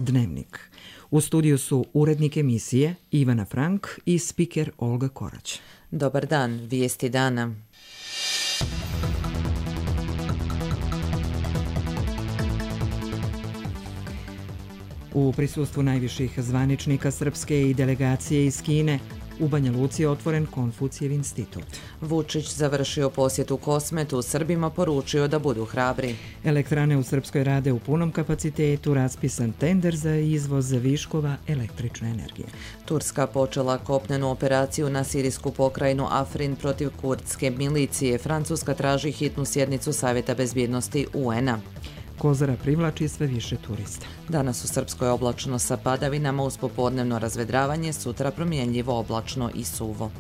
Dnevnik. U studiju su urednik emisije Ivana Frank i spiker Olga Korać. Dobar dan, vijesti dana. U prisustvu najviših zvaničnika Srpske i delegacije iz Kine, u Banja Luci je otvoren Konfucijev institut. Vučić završio posjet u Kosmetu, Srbima poručio da budu hrabri. Elektrane u Srpskoj rade u punom kapacitetu, raspisan tender za izvoz viškova električne energije. Turska počela kopnenu operaciju na sirijsku pokrajinu Afrin protiv kurdske milicije. Francuska traži hitnu sjednicu Savjeta bezbjednosti UN-a. Kozara privlači sve više turista. Danas u Srpskoj oblačno sa padavinama uz popodnevno razvedravanje, sutra promjenljivo oblačno i suvo.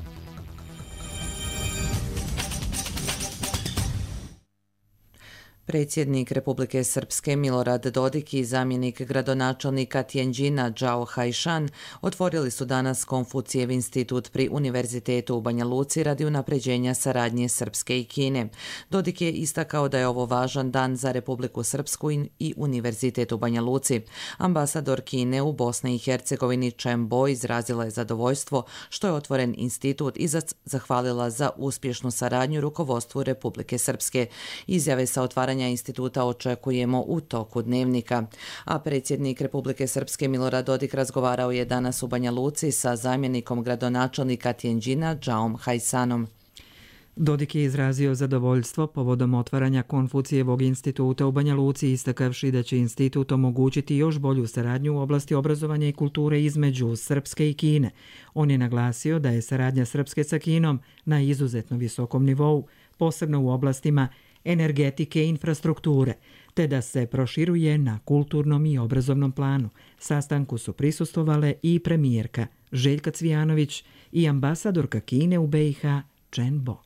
Predsjednik Republike Srpske Milorad Dodik i zamjenik gradonačelnika Tijenđina Džao Hajšan otvorili su danas Konfucijev institut pri Univerzitetu u Banja Luci radi unapređenja saradnje Srpske i Kine. Dodik je istakao da je ovo važan dan za Republiku Srpsku i Univerzitet u Banja Luci. Ambasador Kine u Bosni i Hercegovini Chen Bo izrazila je zadovoljstvo što je otvoren institut i zahvalila za uspješnu saradnju rukovodstvu Republike Srpske. Izjave sa otvaranja instituta očekujemo u toku dnevnika. A predsjednik Republike Srpske Milorad Dodik razgovarao je danas u Banja Luci sa zamjenikom gradonačelnika Tijenđina Džaom Hajsanom. Dodik je izrazio zadovoljstvo povodom otvaranja Konfucijevog instituta u Banja Luci, istakavši da će institut omogućiti još bolju saradnju u oblasti obrazovanja i kulture između Srpske i Kine. On je naglasio da je saradnja Srpske sa Kinom na izuzetno visokom nivou, posebno u oblastima energetike i infrastrukture, te da se proširuje na kulturnom i obrazovnom planu. Sastanku su prisustvovale i premijerka Željka Cvijanović i ambasadorka Kine u BiH Chen Bo.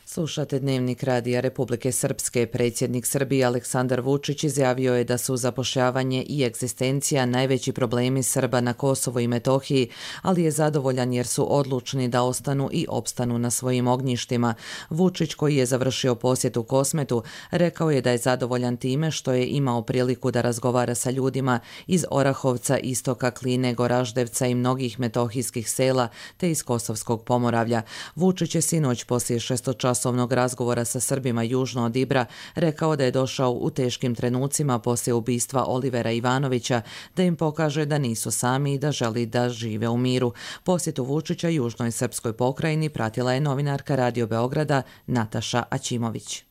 Slušate Dnevnik radija Republike Srpske. Predsjednik Srbije Aleksandar Vučić izjavio je da su zapošljavanje i egzistencija najveći problemi Srba na Kosovu i Metohiji, ali je zadovoljan jer su odlučni da ostanu i opstanu na svojim ognjištima. Vučić, koji je završio posjet u Kosmetu, rekao je da je zadovoljan time što je imao priliku da razgovara sa ljudima iz Orahovca, Istoka, Kline, Goraždevca i mnogih metohijskih sela, te iz Kosovskog Pomoravlja. Vučić je sinoć poslije šestočasovnog razgovora sa Srbima južno od Ibra rekao da je došao u teškim trenucima poslije ubistva Olivera Ivanovića, da im pokaže da nisu sami i da želi da žive u miru. Posjetu Vučića južnoj srpskoj pokrajini pratila je novinarka Radio Beograda Nataša Aćimović.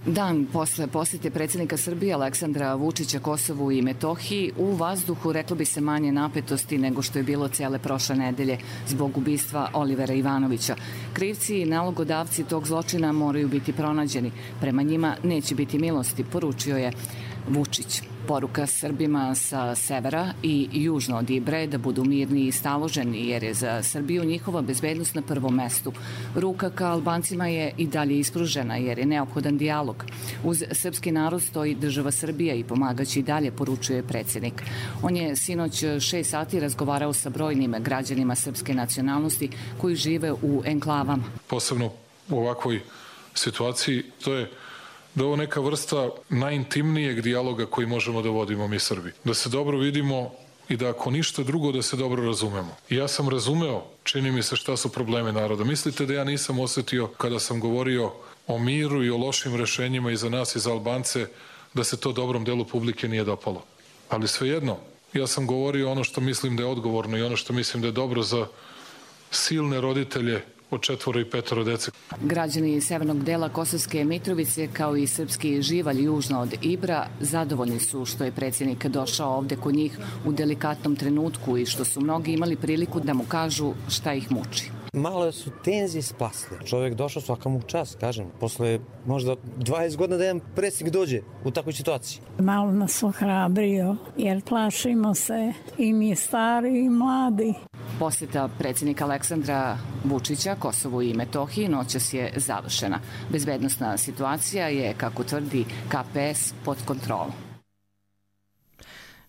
Dan posle posjete predsjednika Srbije Aleksandra Vučića Kosovu i Metohiji, u vazduhu reklo bi se manje napetosti nego što je bilo cijele prošle nedelje zbog ubistva Olivera Ivanovića. Krivci i nalogodavci tog zločina moraju biti pronađeni. Prema njima neće biti milosti, poručio je Vučić. Poruka Srbima sa severa i južno od Ibre da budu mirni i staloženi jer je za Srbiju njihova bezbednost na prvom mestu. Ruka ka Albancima je i dalje ispružena jer je neophodan dijalog. Uz srpski narod stoji država Srbija i pomagaće i dalje, poručuje predsjednik. On je sinoć 6 sati razgovarao sa brojnim građanima srpske nacionalnosti koji žive u enklavama. Posebno u ovakvoj situaciji to je da je ovo neka vrsta najintimnijeg dijaloga koji možemo da vodimo mi Srbi. Da se dobro vidimo i da ako ništa drugo da se dobro razumemo. I ja sam razumeo, čini mi se, šta su probleme naroda. Mislite da ja nisam osjetio kada sam govorio o miru i o lošim rešenjima i za nas i za Albance, da se to dobrom delu publike nije dopalo. Ali svejedno, ja sam govorio ono što mislim da je odgovorno i ono što mislim da je dobro za silne roditelje od 4 i 5 dece. Građani severnog dela Kosovske Mitrovice kao i srpski živalj južno od Ibra zadovoljni su što je predsjednik došao ovde kod njih u delikatnom trenutku i što su mnogi imali priliku da mu kažu šta ih muči. Malo su tenzije spasle. Čovjek došao svaka mu čast, kažem. Posle možda 20 godina da jedan predsjednik dođe u takvoj situaciji. Malo nas ohrabrio jer plašimo se i mi stari i mladi. Posjeta predsjednika Aleksandra Vučića Kosovu i Metohiji noćas je završena. Bezbednosna situacija je, kako tvrdi KPS, pod kontrolom.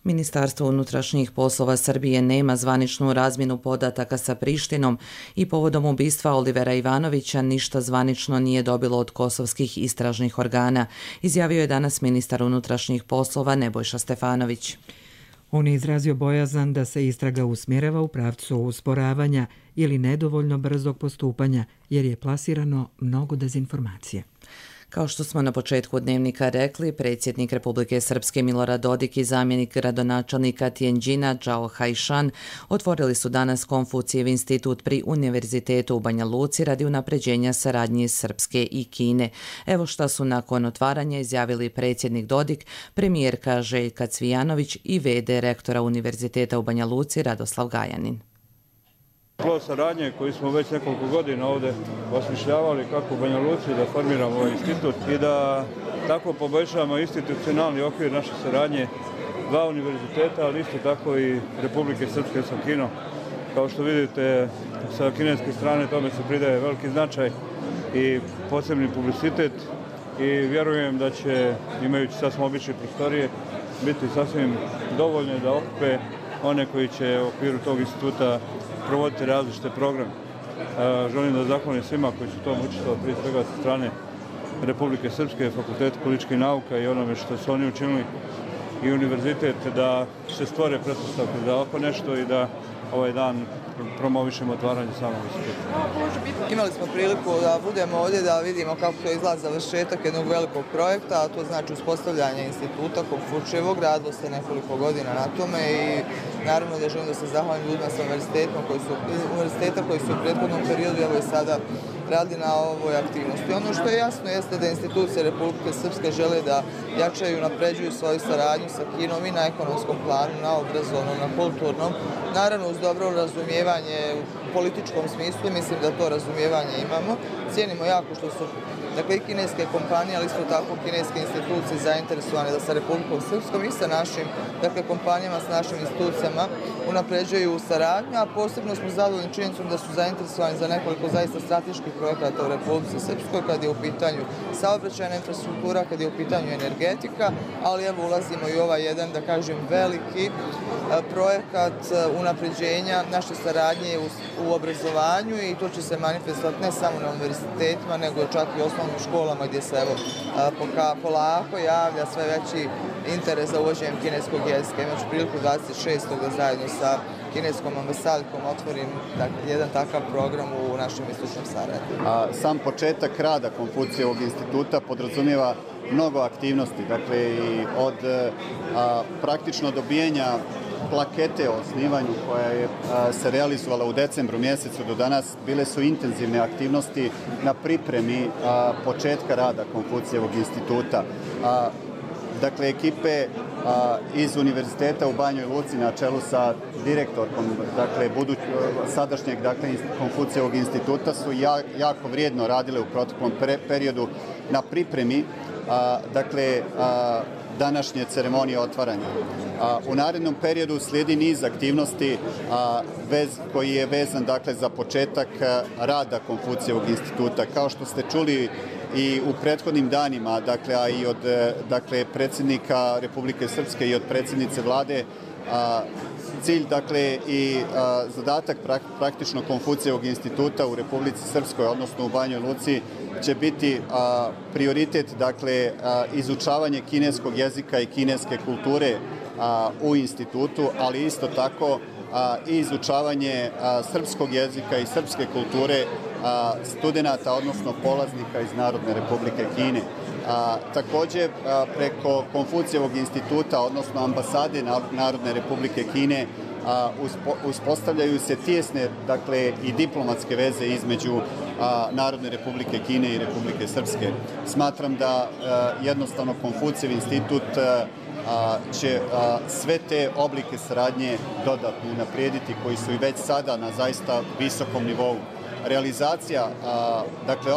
Ministarstvo unutrašnjih poslova Srbije nema zvaničnu razmjenu podataka sa Prištinom i povodom ubistva Olivera Ivanovića ništa zvanično nije dobilo od kosovskih istražnih organa, izjavio je danas ministar unutrašnjih poslova Nebojša Stefanović. On je izrazio bojazan da se istraga usmjerava u pravcu usporavanja ili nedovoljno brzog postupanja, jer je plasirano mnogo dezinformacije. Kao što smo na početku dnevnika rekli, predsjednik Republike Srpske Milorad Dodik i zamjenik gradonačelnika Tijenđina Džao Hajšan otvorili su danas Konfucijev institut pri Univerzitetu u Banja Luci radi unapređenja saradnje Srpske i Kine. Evo šta su nakon otvaranja izjavili predsjednik Dodik, premijerka Željka Cvijanović i v.d. rektora Univerziteta u Banja Luci Radoslav Gajanin. Plod saradnje koji smo već nekoliko godina ovdje osmišljavali kako u Banja Luci da formiramo ovaj institut i da tako poboljšamo institucionalni okvir naše saradnje dva univerziteta, ali isto tako i Republike Srpske sa Kinom. Kao što vidite, sa kineske strane tome se pridaje veliki značaj i posebni publicitet i vjerujem da će, imajući sasvim obične prostorije, biti sasvim dovoljne da okupe one koji će u okviru tog instituta provoditi različite programe. Želim da zahvalim svima koji su tom učestvovali, prije svega sa strane Republike Srpske, Fakulteta političkih nauka i onome što su oni učinili i univerzitet da se stvore pretpostavke za ovako nešto i da ovaj dan promovišemo otvaranje samog instituta. Imali smo priliku da budemo ovdje da vidimo kako izgleda završetak jednog velikog projekta, a to znači uspostavljanje instituta Konfučijevog. Radilo se nekoliko godina na tome i naravno da želim da se zahvalim ljudima sa univerziteta koji su u prethodnom periodu evo i sada radi na ovoj aktivnosti. Ono što je jasno jeste da institucije Republike Srpske žele da jačaju i napređuju svoju saradnju sa Kinom i na ekonomskom planu, na obrazovnom, na kulturnom. Naravno uz dobro razumijevanje u političkom smislu, mislim da to razumijevanje imamo. Cijenimo jako što su i kineske kompanije, ali isto tako kineske institucije zainteresovane da sa Republikom Srpskom i sa našim kompanijama, s našim institucijama unapređuju saradnju, a posebno smo zadovoljni činjenicom da su zainteresovani za nekoliko zaista strateških projekata u Republici Srpskoj kad je u pitanju saobraćajna infrastruktura, kad je u pitanju energetika, ali evo ulazimo i ovaj jedan, da kažem, veliki projekat unapređenja naše saradnje u obrazovanju i to će se manifestovati ne samo na univerzitetima, nego čak i osnovnim školama gdje se polako javlja sve veći interes za uvođenjem kineskog jezika. Imaću priliku 26. da zajedno sa kineskom ambasadom otvorim jedan takav program u našem istočnom Sarajevu. Sam početak rada Konfucijevog instituta podrazumijeva mnogo aktivnosti, dakle i od praktično dobijenja plakete o osnivanju koja je se realizovala u decembru mjesecu do danas, bile su intenzivne aktivnosti na pripremi početka rada Konfucijevog instituta. Dakle, ekipe iz Univerziteta u Banjoj Luci na čelu sa direktorkom, sadašnjeg Konfucijevog instituta su jako vrijedno radile u proteklom periodu na pripremi današnje ceremonije otvaranja. U narednom periodu slijedi niz aktivnosti koji je vezan za početak rada Konfucijevog instituta. Kao što ste čuli i u prethodnim danima, a i od predsjednika Republike Srpske i od predsjednice vlade, cilj i zadatak praktično Konfucijevog instituta u Republici Srpskoj, odnosno u Banjoj Luci, će biti prioritet izučavanje kineskog jezika i kineske kulture u institutu, ali isto tako i izučavanje srpskog jezika i srpske kulture studenata, odnosno polaznika iz Narodne Republike Kine. Također, preko Konfucijevog instituta, odnosno ambasade Narodne Republike Kine, uspostavljaju se tijesne i diplomatske veze između Narodne Republike Kine i Republike Srpske. Smatram da jednostavno Konfucijev institut će sve te oblike saradnje dodatno unaprijediti koji su i već sada na zaista visokom nivou. Realizacija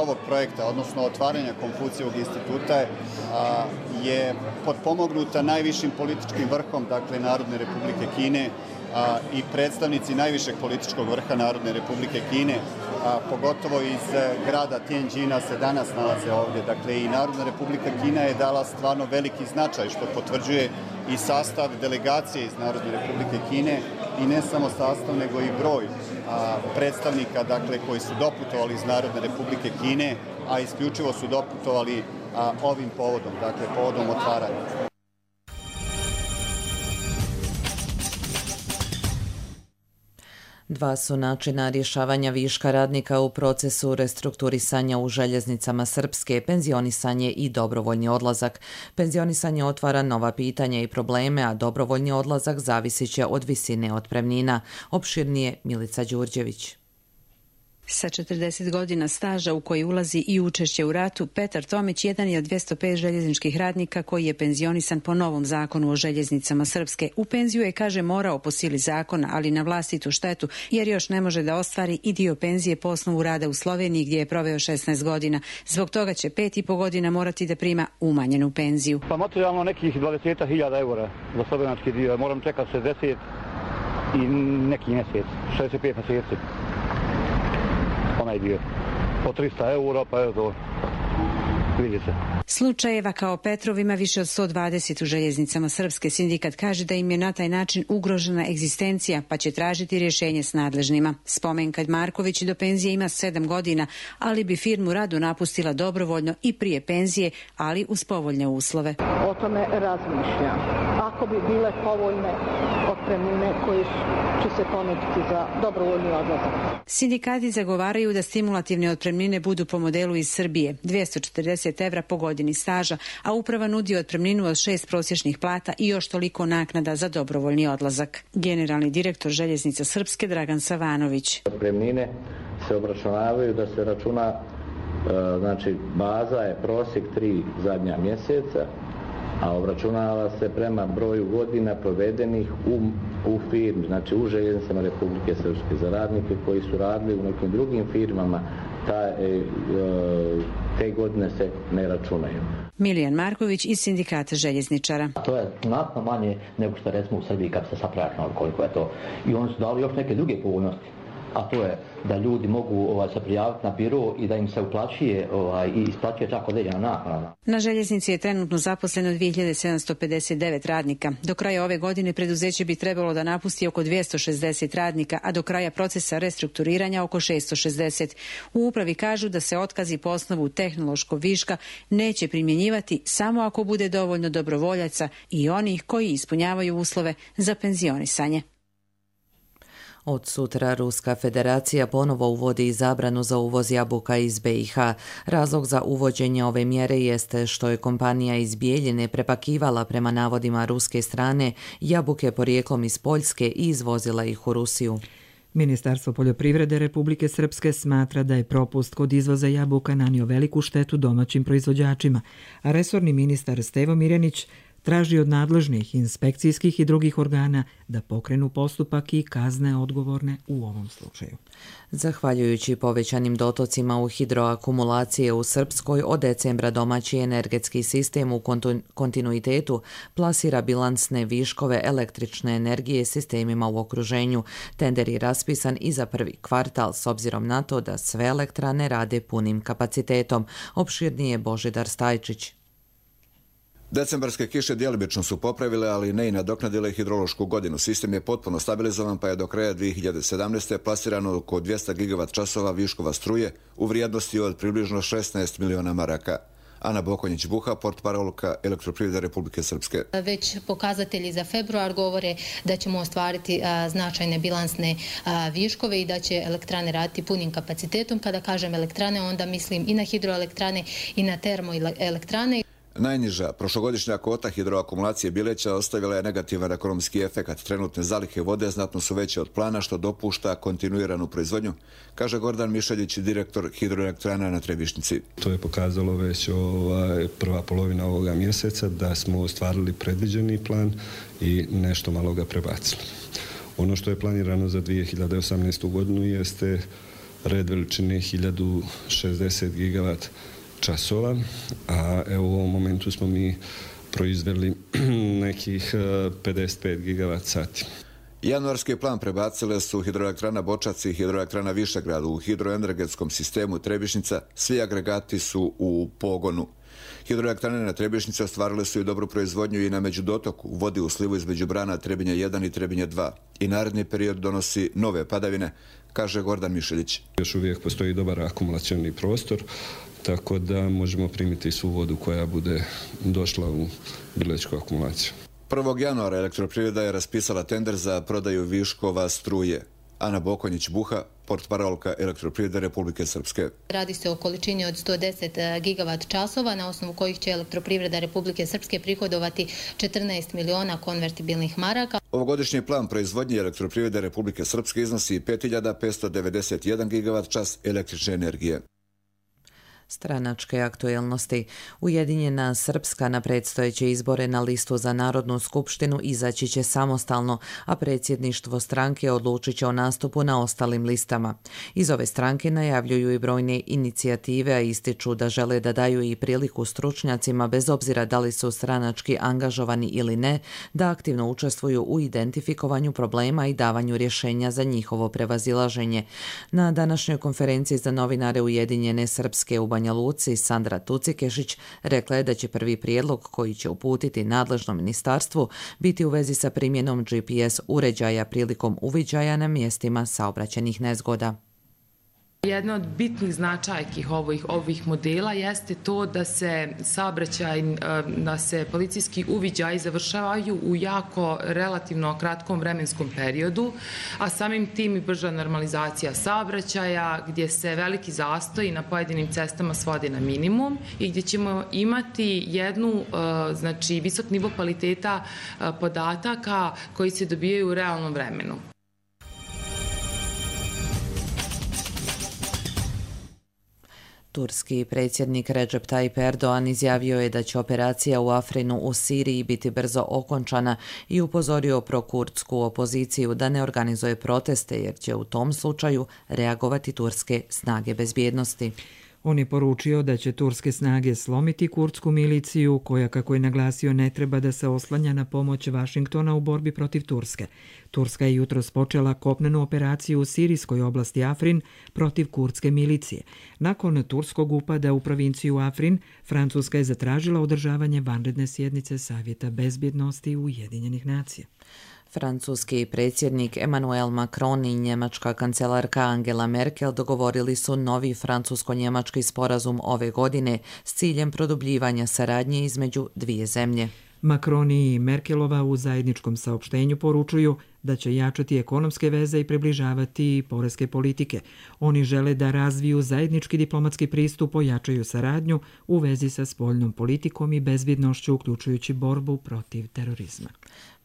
ovog projekta, odnosno otvaranja Konfucijevog instituta je potpomognuta najvišim političkim vrhom Narodne Republike Kine i predstavnici najvišeg političkog vrha Narodne Republike Kine, pogotovo iz grada Tijenđina se danas nalaze ovdje. I Narodna Republika Kina je dala stvarno veliki značaj, što potvrđuje i sastav delegacije iz Narodne Republike Kine i ne samo sastav, nego i broj predstavnika koji su doputovali iz Narodne Republike Kine, a isključivo su doputovali ovim povodom, povodom otvaranja. Dva su načina rješavanja viška radnika u procesu restrukturisanja u željeznicama Srpske, penzionisanje i dobrovoljni odlazak. Penzionisanje otvara nova pitanja i probleme, a dobrovoljni odlazak zavisit će od visine otpremnina. Opširnije Milica Đurđević. Sa 40 godina staža u koji ulazi i učešće u ratu, Petar Tomić jedan je od 205 željezničkih radnika koji je penzionisan po novom zakonu o željeznicama Srpske. U penziju je, kaže, morao po sili zakona, ali na vlastitu štetu, jer još ne može da ostvari i dio penzije po osnovu rada u Sloveniji gdje je proveo 16 godina. Zbog toga će 5,5 godina morati da prima umanjenu penziju. Pa materijalno nekih 20.000 eura za slovenački dio. Moram čekati 60 i neki mjesec, 65 mjeseci. Onaj dio. Po 300 eura, pa je to, vidi se. Slučajeva kao Petrov ima više od 120 u željeznicama Srpske. Sindikat kaže da im je na taj način ugrožena egzistencija, pa će tražiti rješenje s nadležnima. Spomenka Marković do penzije ima 7 godina, ali bi firmu rado napustila dobrovoljno i prije penzije, ali uz povoljne uslove. O tome razmišljam. Ako bi bile povoljne otpremnine koje će se ponuditi za dobrovoljni odlazak. Sindikati zagovaraju da stimulativne otpremnine budu po modelu iz Srbije, 240 evra po godini staža, a uprava nudi otpremninu od 6 prosječnih plata i još toliko naknada za dobrovoljni odlazak. Generalni direktor Željeznica Srpske Dragan Savanović. Otpremnine se obračunavaju da se računa, znači baza je prosjek 3 zadnja mjeseca, a obračunava se prema broju godina provedenih u firmi, znači u željeznicama Republike Srpske. Za radnike koji su radili u nekim drugim firmama, te godine se ne računaju. Milijan Marković iz Sindikata željezničara. To je znatno manje nego što recimo u Srbiji kad se sapračnalo koliko je to. I oni su dali još neke druge povoljnosti, a to je da ljudi mogu se prijaviti na biro i da im se uplaćuje i isplaćuje čak određena naknada. Na željeznici je trenutno zaposleno 2759 radnika. Do kraja ove godine preduzeće bi trebalo da napusti oko 260 radnika, a do kraja procesa restrukturiranja oko 660. U upravi kažu da se otkazi po osnovu tehnološkog viška neće primjenjivati samo ako bude dovoljno dobrovoljaca i onih koji ispunjavaju uslove za penzionisanje. Od sutra Ruska federacija ponovo uvodi zabranu za uvoz jabuka iz BiH. Razlog za uvođenje ove mjere jeste što je kompanija iz Bijeljine prepakivala prema navodima ruske strane jabuke porijeklom iz Poljske i izvozila ih u Rusiju. Ministarstvo poljoprivrede Republike Srpske smatra da je propust kod izvoza jabuka nanio veliku štetu domaćim proizvođačima, a resorni ministar Stevo Mirjanić traži od nadležnih inspekcijskih i drugih organa da pokrenu postupak i kazne odgovorne u ovom slučaju. Zahvaljujući povećanim dotocima u hidroakumulacije u Srpskoj, od decembra domaći energetski sistem u kontinuitetu plasira bilansne viškove električne energije sistemima u okruženju. Tender je raspisan i za prvi kvartal s obzirom na to da sve elektrane rade punim kapacitetom. Opširnije Božidar Stajčić. Decembarske kiše djelomično su popravile, ali ne i nadoknadile hidrološku godinu. Sistem je potpuno stabilizovan, pa je do kraja 2017. plasirano oko 200 gigavat časova viškova struje u vrijednosti od približno 16 miliona maraka. Ana Bokonjić-Buha, portparolka Elektroprivrede Republike Srpske. Već pokazatelji za februar govore da ćemo ostvariti značajne bilansne viškove i da će elektrane raditi punim kapacitetom. Kada kažem elektrane, onda mislim i na hidroelektrane i na termoelektrane. Najniža prošlogodišnja kvota hidroakumulacije Bileća ostavila je negativan ekonomski efekat. Trenutne zalihe vode znatno su veće od plana, što dopušta kontinuiranu proizvodnju, kaže Gordan Mišeljić, direktor hidroelektrana na Trebišnjici. To je pokazalo već prva polovina ovoga mjeseca da smo ostvarili predviđeni plan i nešto malo ga prebacili. Ono što je planirano za 2018. godinu jeste red veličine 1060 gigavat časova, a evo u ovom momentu smo mi proizveli nekih 55 gigavat sati. Januarski plan prebacile su hidroelektrana Bočac i hidroelektrana Višegrad. U hidroenergetskom sistemu Trebišnjica svi agregati su u pogonu. Hidroelektrane na Trebišnjici ostvarile su i dobru proizvodnju i na međudotoku, vodi u slivu između brana Trebinje 1 i Trebinje 2. I naredni period donosi nove padavine, kaže Gordan Mišeljić. Još uvijek postoji dobar akumulacioni prostor, tako da možemo primiti svu vodu koja bude došla u bilečku akumulaciju. 1. januara Elektroprivreda je raspisala tender za prodaju viškova struje. Ana Bokonjić-Buha, portparolka Elektroprivrede Republike Srpske. Radi se o količini od 110 gigavat časova, na osnovu kojih će Elektroprivreda Republike Srpske prihodovati 14 miliona konvertibilnih maraka. Ovogodišnji plan proizvodnje Elektroprivrede Republike Srpske iznosi 5591 gigavat čas električne energije. Stranačke aktuelnosti. Ujedinjena Srpska na predstojeće izbore na listu za Narodnu skupštinu izaći će samostalno, a predsjedništvo stranke odlučit će o nastupu na ostalim listama. Iz ove stranke najavljuju i brojne inicijative, a ističu da žele da daju i priliku stručnjacima, bez obzira da li su stranački angažovani ili ne, da aktivno učestvuju u identifikovanju problema i davanju rješenja za njihovo prevazilaženje. Na današnjoj konferenciji za novinare Ujedinjene Srpske u Banja Luci, Sandra Tucikešić rekla je da će prvi prijedlog koji će uputiti nadležnom ministarstvu biti u vezi sa primjenom GPS uređaja prilikom uviđaja na mjestima saobraćajnih nezgoda. Jedna od bitnih značajki ovih modela jeste to da se policijski uviđaji završavaju u jako relativno kratkom vremenskom periodu, a samim tim i brža normalizacija saobraćaja, gdje se veliki zastoji na pojedinim cestama svodi na minimum i gdje ćemo imati visok nivo kvaliteta podataka koji se dobijaju u realnom vremenu. Turski predsjednik Recep Tayyip Erdoğan izjavio je da će operacija u Afrinu u Siriji biti brzo okončana i upozorio prokurdsku opoziciju da ne organizuje proteste jer će u tom slučaju reagovati turske snage bezbjednosti. On je poručio da će turske snage slomiti kurdsku miliciju koja, kako je naglasio, ne treba da se oslanja na pomoć Vašingtona u borbi protiv Turske. Turska je jutros počela kopnenu operaciju u sirijskoj oblasti Afrin protiv kurdske milicije. Nakon turskog upada u provinciju Afrin, Francuska je zatražila održavanje vanredne sjednice Savjeta bezbjednosti Ujedinjenih nacija. Francuski predsjednik Emmanuel Macron i njemačka kancelarka Angela Merkel dogovorili su novi francusko-njemački sporazum ove godine s ciljem produbljivanja saradnje između dvije zemlje. Macron i Merkelova u zajedničkom saopštenju poručuju da će jačati ekonomske veze i približavati poreske politike. Oni žele da razviju zajednički diplomatski pristup, ojačaju saradnju u vezi sa spoljnom politikom i bezbjednošću, uključujući borbu protiv terorizma.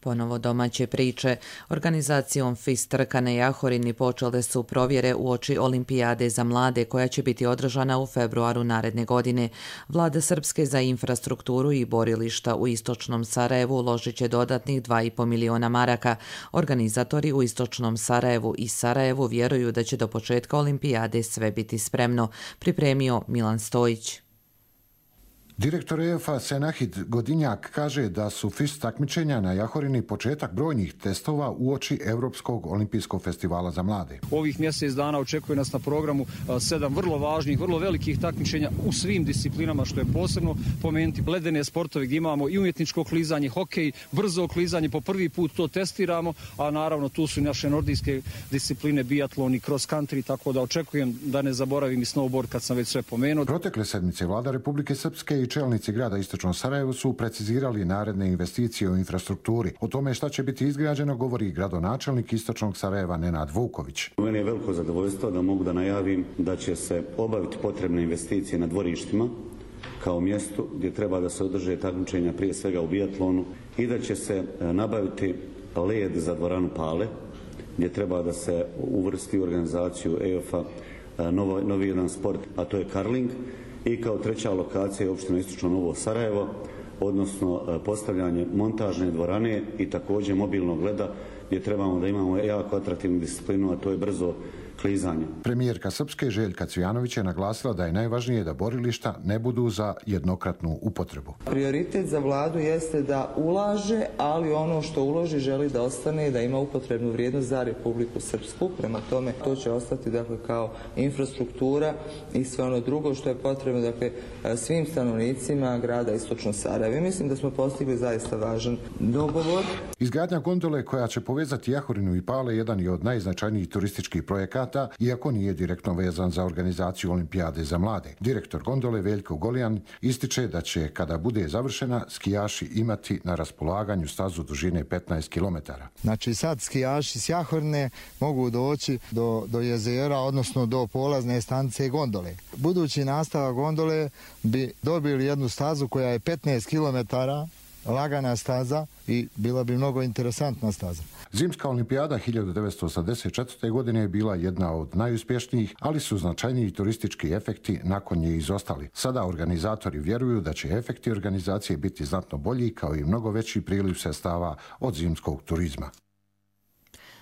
Ponovo domaće priče. Organizacijom FIS trka na Jahorini počele su provjere uoči Olimpijade za mlade koja će biti održana u februaru naredne godine. Vlada Srpske za infrastrukturu i borilišta u istočnom Sarajevu uložit će dodatnih 2,5 miliona maraka. Organizatori u istočnom Sarajevu i Sarajevu vjeruju da će do početka Olimpijade sve biti spremno, pripremio Milan Stojić. Direktor EFA Senahid Godinjak kaže da su FIS takmičenja na Jahorini početak brojnih testova uoči Europskog olimpijskog festivala za mlade. Ovih mjesec dana očekuje nas na programu 7 vrlo važnih, vrlo velikih takmičenja u svim disciplinama, što je posebno pomenuti ledene sportove gdje imamo i umjetničko klizanje, hokej, brzo klizanje, po prvi put to testiramo, a naravno tu su i naše nordijske discipline, biatlon i cross country, tako da očekujem da ne zaboravim i snowboard kad sam već sve pomenuo. Protekle sedmice vlada Republike Srpske i čelnici grada Istočnog Sarajevu su precizirali naredne investicije u infrastrukturi. O tome šta će biti izgrađeno govori gradonačelnik Istočnog Sarajeva Nenad Vuković. Meni je veliko zadovoljstvo da mogu da najavim da će se obaviti potrebne investicije na dvorištima kao mjestu gdje treba da se održe takmičenja prije svega u biatlonu i da će se nabaviti led za dvoranu Pale gdje treba da se uvrsti u organizaciju EOF-a novi jedan sport, a to je karling. I kao treća lokacija je opština Istočno Novo Sarajevo, odnosno postavljanje montažne dvorane i također mobilnog leda gdje trebamo da imamo jako atraktivnu disciplinu, a to je brzo klizanje. Premijerka Srpske Željka Cvijanović je naglasila da je najvažnije da borilišta ne budu za jednokratnu upotrebu. Prioritet za vladu jeste da ulaže, ali ono što uloži želi da ostane i da ima upotrebnu vrijednost za Republiku Srpsku. Prema tome to će ostati kao infrastruktura i sve ono drugo što je potrebno svim stanovnicima grada Istočno Sarajevo. Mislim da smo postigli zaista važan dogovor. Izgradnja gondole koja će povezati Jahorinu i Pale jedan je od najznačajnijih turističkih projekata studenata, iako nije direktno vezan za organizaciju olimpijade za mlade. Direktor gondole Veljko Golijan ističe da će, kada bude završena, skijaši imati na raspolaganju stazu dužine 15 km. Znači sad skijaši s Jahorne mogu doći do jezera, odnosno do polazne stanice gondole. Budući nastavak gondole bi dobili jednu stazu koja je 15 km, lagana staza i bila bi mnogo interesantna staza. Zimska olimpijada 1984. godine je bila jedna od najuspješnijih, ali su značajniji turistički efekti nakon nje izostali. Sada organizatori vjeruju da će efekti organizacije biti znatno bolji, kao i mnogo veći priliv sredstava od zimskog turizma.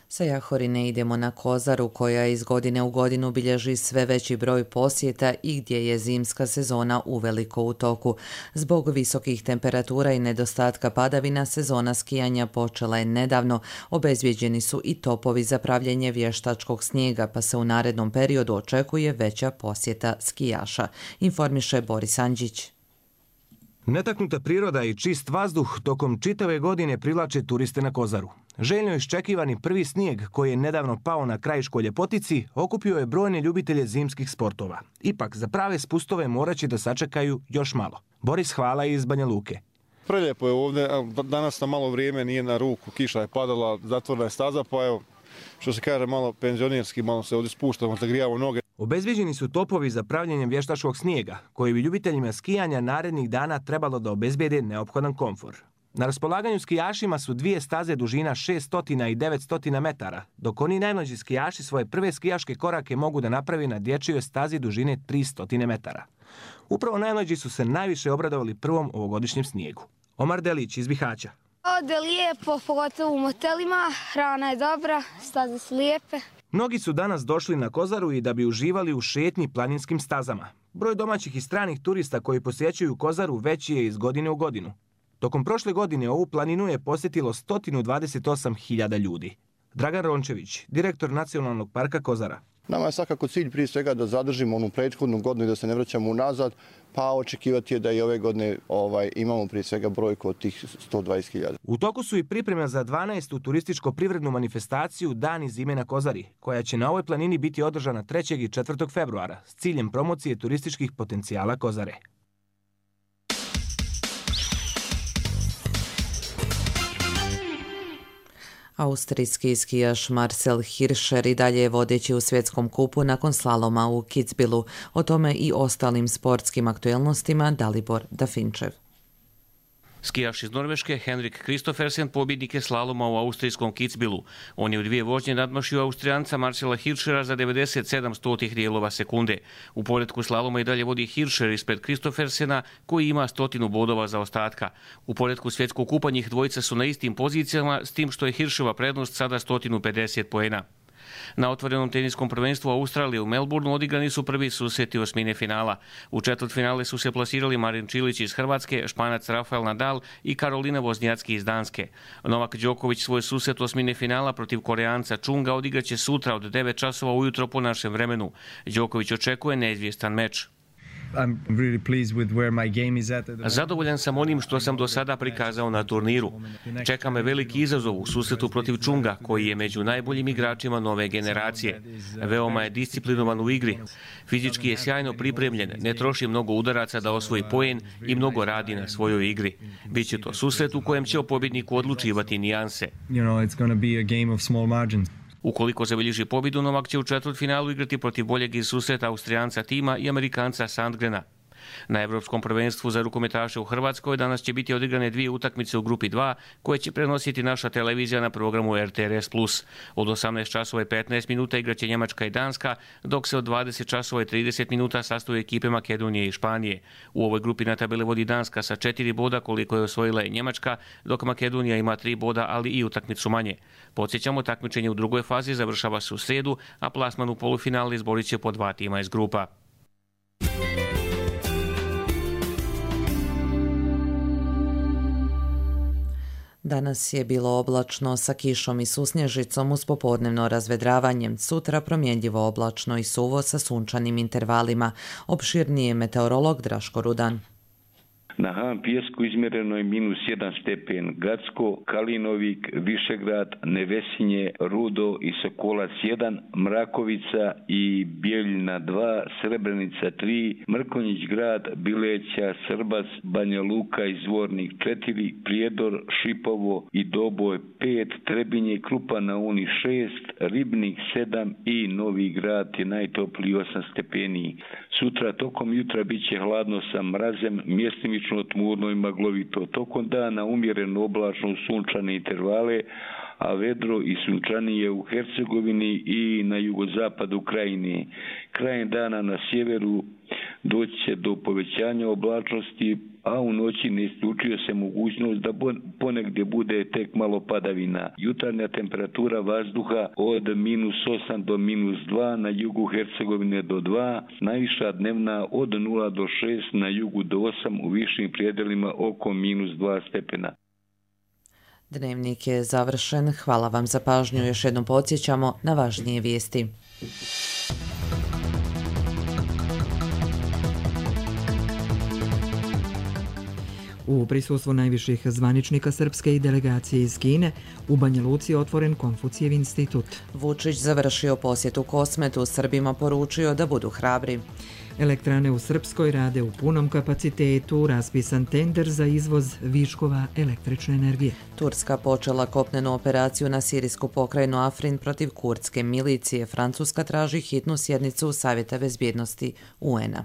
Sa Jahorine idemo na Kozaru, koja iz godine u godinu bilježi sve veći broj posjeta i gdje je zimska sezona uveliko u toku. Zbog visokih temperatura i nedostatka padavina, sezona skijanja počela je nedavno. Obezbijeđeni su i topovi za pravljenje vještačkog snijega, pa se u narednom periodu očekuje veća posjeta skijaša, informiše Boris Andžić. Netaknuta priroda i čist vazduh tokom čitave godine privlače turiste na Kozaru. Željno iščekivani prvi snijeg, koji je nedavno pao na Krajiškoj Ljepotici, okupio je brojne ljubitelje zimskih sportova. Ipak, za prave spustove morat će da sačekaju još malo. Boris Hvala iz Banja Luke. Preljepo je ovdje, danas na malo vrijeme nije na ruku, kiša je padala, zatvorena je staza, pa evo, što se kaže, malo penzionirski, malo se ovdje spuštamo, zagrijavamo noge. Obezbijeđeni su topovi za pravljenje vještačkog snijega, koji bi ljubiteljima skijanja narednih dana trebalo da obezbijede neophodan komfor. Na raspolaganju skijašima su dvije staze dužina 600 i 900 metara, dok oni najmlađi skijaši svoje prve skijaške korake mogu da napravi na dječjoj stazi dužine 300 metara. Upravo najmlađi su se najviše obradovali prvom ovogodišnjem snijegu. Omar Delić iz Bihaća. Ovdje je lijepo, pogotovo u motelima, hrana je dobra, staze su lijepe. Mnogi su danas došli na Kozaru i da bi uživali u šetnji planinskim stazama. Broj domaćih i stranih turista koji posjećuju Kozaru veći je iz godine u godinu. Tokom prošle godine ovu planinu je posjetilo 128.000 ljudi. Dragan Rončević, direktor Nacionalnog parka Kozara. Nama je svakako cilj prije svega da zadržimo onu prethodnu godinu i da se ne vraćamo unazad, pa očekivati je da i ove godine imamo prije svega brojku od tih 120.000. U toku su i pripreme za 12. turističko-privrednu manifestaciju Dani zime na Kozari, koja će na ovoj planini biti održana 3. i 4. februara s ciljem promocije turističkih potencijala Kozare. Austrijski skijaš Marcel Hirscher i dalje je vodeći u svjetskom kupu nakon slaloma u Kitzbühelu. O tome i ostalim sportskim aktuelnostima Dalibor Dafinčev. Skijaš iz Norveške Henrik Kristoffersen pobjednik je slaloma u austrijskom Kitzbühelu. On je u dvije vožnje nadmašio Austrijanca Marcela Hirschera za 97 dijelova sekunde. U poretku slaloma i dalje vodi Hirscher ispred Kristoffersena, koji ima 100 bodova za ostatka. U poretku svjetskog kupa njih dvojica su na istim pozicijama, s tim što je Hirschova prednost sada 150 poena. Na otvorenom teniskom prvenstvu Australije u Melbourneu odigrani su prvi susreti osmine finala. U četvrtfinale su se plasirali Marin Čilić iz Hrvatske, Španac Rafael Nadal i Karolina Voznjacki iz Danske. Novak Đoković svoj susret osmine finala protiv Koreanca Čunga odigraće sutra od 9 časova ujutro po našem vremenu. Đoković očekuje neizvjestan meč. Zadovoljan sam onim što sam do sada prikazao na turniru. Čeka me veliki izazov u susretu protiv Čunga, koji je među najboljim igračima nove generacije. Veoma je disciplinovan u igri. Fizički je sjajno pripremljen, ne troši mnogo udaraca da osvoji poen i mnogo radi na svojoj igri. Biće to susret u kojem će o pobjedniku odlučivati nijanse. Ukoliko zabilježi pobjedu, Novak će u četvrtfinalu igrati protiv boljeg iz susreta Austrijanca Tima i Amerikanca Sandgrena. Na Evropskom prvenstvu za rukometaše u Hrvatskoj danas će biti odigrane dvije utakmice u grupi 2, koje će prenositi naša televizija na programu RTRS+. Od 18 časova i 15 minuta igraće Njemačka i Danska, dok se od 20 časova i 30 minuta sastoje ekipe Makedonije i Španije. U ovoj grupi na tabeli vodi Danska sa 4 boda, koliko je osvojila i Njemačka, dok Makedonija ima 3 boda, ali i utakmicu manje. Podsjećamo, takmičenje u drugoj fazi završava se u srijedu, a plasman u polufinale izborit će po 2 tima iz grupa. Danas je bilo oblačno sa kišom i susnježicom uz popodnevno razvedravanje. Sutra promjenjivo oblačno i suvo sa sunčanim intervalima. Opširniji je meteorolog Draško Rudan. Na Han Pijesku izmjereno je -1 stepen, Gacko, Kalinovik, Višegrad, Nevesinje, Rudo i Sokolac 1, Mrakovica i Bijeljina 2, Srebrenica 3, Mrkonjić grad, Bileća, Srbac, Banja Luka i Zvornik 4, Prijedor, Šipovo i Doboj 5, Trebinje i Krupa na Uni 6, Ribnik 7 i Novi Grad je najtopliji 8 stepeni. Sutra tokom jutra bit će hladno sa mrazem, mjestimično tmurno i maglovito. Tokom dana umjereno oblačno sunčane intervale, a vedro i sunčanije u Hercegovini i na jugozapadu Krajine. Krajem dana na sjeveru doći će do povećanja oblačnosti, a u noći ne isključuje se mogućnost da ponegdje bude tek malo padavina. Jutarnja temperatura vazduha od -8 do -2, na jugu Hercegovine do 2, najviša dnevna od 0 do 6, na jugu do 8, u višim prijedelima oko -2 stepena. Dnevnik je završen. Hvala vam za pažnju. Još jednom podsjećamo na važnije vijesti. U prisustvu najviših zvaničnika Srpske i delegacije iz Kine, u Banja Luci je otvoren Konfucijev institut. Vučić završio posjetu Kosmetu, Srbima poručio da budu hrabri. Elektrane u Srpskoj rade u punom kapacitetu, raspisan tender za izvoz viškova električne energije. Turska počela kopnenu operaciju na sirijsku pokrajinu Afrin protiv kurdske milicije. Francuska traži hitnu sjednicu Savjeta bezbjednosti UN-a.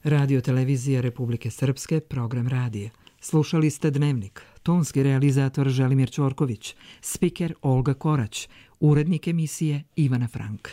Radio televizija Republike Srpske, program radija. Slušali ste Dnevnik. Tonski realizator Želimir Ćorković, spiker Olga Korać, urednik emisije Ivana Frank.